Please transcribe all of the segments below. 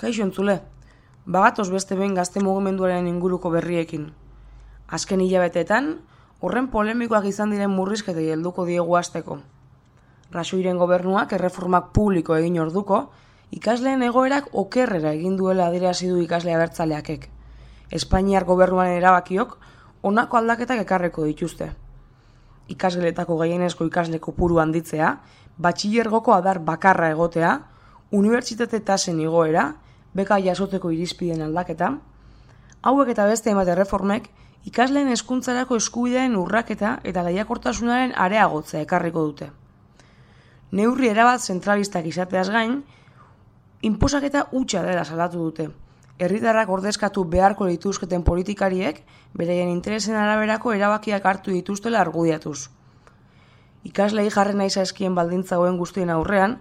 Kaixo entzule, bagatoz beste behin gazte mugimenduaren inguruko berriekin. Azken hilabeteetan, horren polemikoak izan diren murrizketei helduko diegu hasteko. Rajoyren gobernuak erreformak publiko egin orduko, ikasleen egoerak okerrera egin duela adierazi du ikasle abertzaleakek. Espainiar gobernuaren erabakiok honako aldaketak ekarreko dituzte. Ikasgeletako gehienezko ikasle kopuru handitzea, batxilergoko adar bakarra egotea, unibertsitate tasen igoera, beka jasotzeko irizpideen aldaketa, hauek eta beste hainbat erreformek ikasleen hezkuntzarako eskubideen urraketa eta lehiakortasunaren areagotzea ekarriko dute. Neurri erabat zentralistak izateaz gain, inposaketa hutsa dela salatu dute. Herritarrak ordezkatu beharko lituzketen politikariek beraien interesen araberako erabakiak hartu dituztela argudiatuz. Ikaslei jarri nahi zaizkien baldintza hauen guztien aurrean,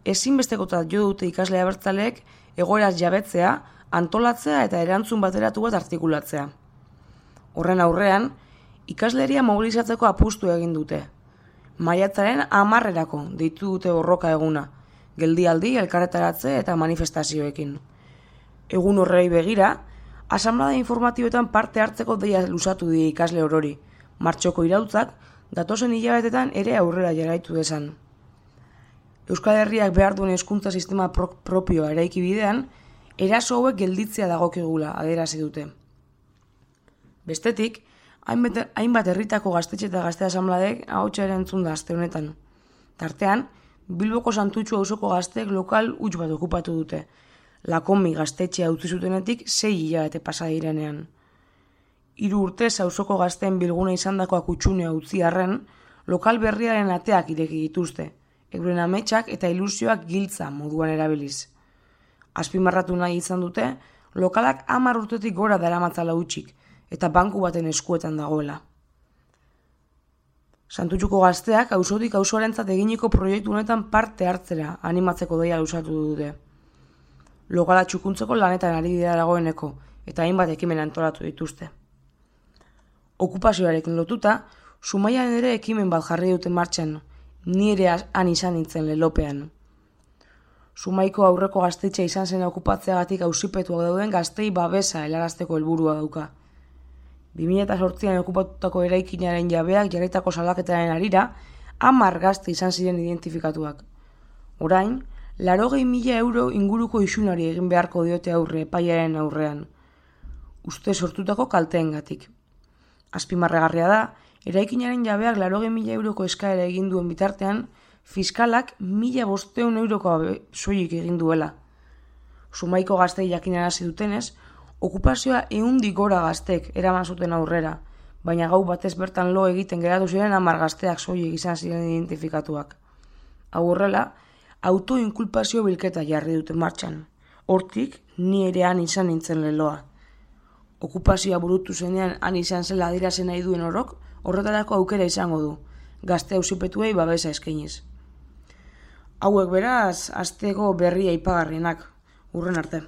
ezinbestekotzat jo dute ikasle abertzaleek egoeraz jabetzea, antolatzea eta erantzun bateratu bat artikulatzea. Horren aurrean, ikasleria mobilizatzeko apustu egin dute. Maiatzaren 10erako deitu dute borroka eguna, geldialdi, elkarretaratze eta manifestazioekin. Egun horrei begira, asanblada informatiboetan parte hartzeko deia luzatu die ikasle orori, martxoko irautzak datozen hilabetetan ere aurrera jarraitu desan. Euskal Herriak behar duen hezkuntza sistema propioa eraiki bidean, eraso hauek gelditzea dagokigula adierazi dute. Bestetik, hainbat herritako gaztetxe eta gazte asanbladek ahotsa ere entzun da aste honetan. Tartean, Bilboko Santutxu auzoko gazteek lokal huts bat okupatu dute. Lakomi gaztetxea utzi zutenetik 6 hilabete pasa direnean. 3 urtez auzoko gazteen bilgune izandakoak utxunea utzi arren, lokal berriaren ateak ireki dituzte, euren ametsak eta ilusioak giltza moduan erabiliz. Azpimarratu nahi izan dute, lokalak 10 urtetik gora daramatzala hutsik, eta banku baten eskuetan dagoela. Santutxuko gazteak auzotik auzoarentzat eginiko proiektu honetan parte hartzera animatzeko deia luzatu dute. Lokala txukuntzeko lanetan ari dira dagoeneko, eta hainbat ekimen antolatu dituzte. Okupazioarekin lotuta, Zumaian ere ekimen bat jarri dute martxan, ni ere han izan nintzen lelopean. Zumaiko aurreko gaztetxea izan zen okupatzeagatik auzipetuak dauden gaztei babesa helarazteko helburua dauka. 2008an okupatutako eraikinaren jabeak jarritako salaketaren harira, 10 gazte izan ziren identifikatuak. Orain, 80.000 euro inguruko isunari egin beharko diote aurre epaiaren aurrean, uste sortutako kalteengatik. Azpimarragarria da, eraikinaren jabeak 80.000 euroko eskaera egin duen bitartean, fiskalak 1.500 euroko soilik egin duela. Zumaiko gaztei jakinarazi dutenez, okupazioa 100 gora gaztek eraman zuten aurrera, baina gau batez bertan lo egiten geratu ziren 10 gazteak soilik izan ziren identifikatuak. Hau horrela, autoinkulpazio bilketa jarri dute martxan. Hortik, ni ere han izan nintzen leloa. Okupazioa burutu zenean han izan zela adierazi nahi duen orok, horretarako aukera izango du, gazte auzipetuei babesa eskainiz. Hauek beraz, asteko berria aipagarrienak, hurren arte.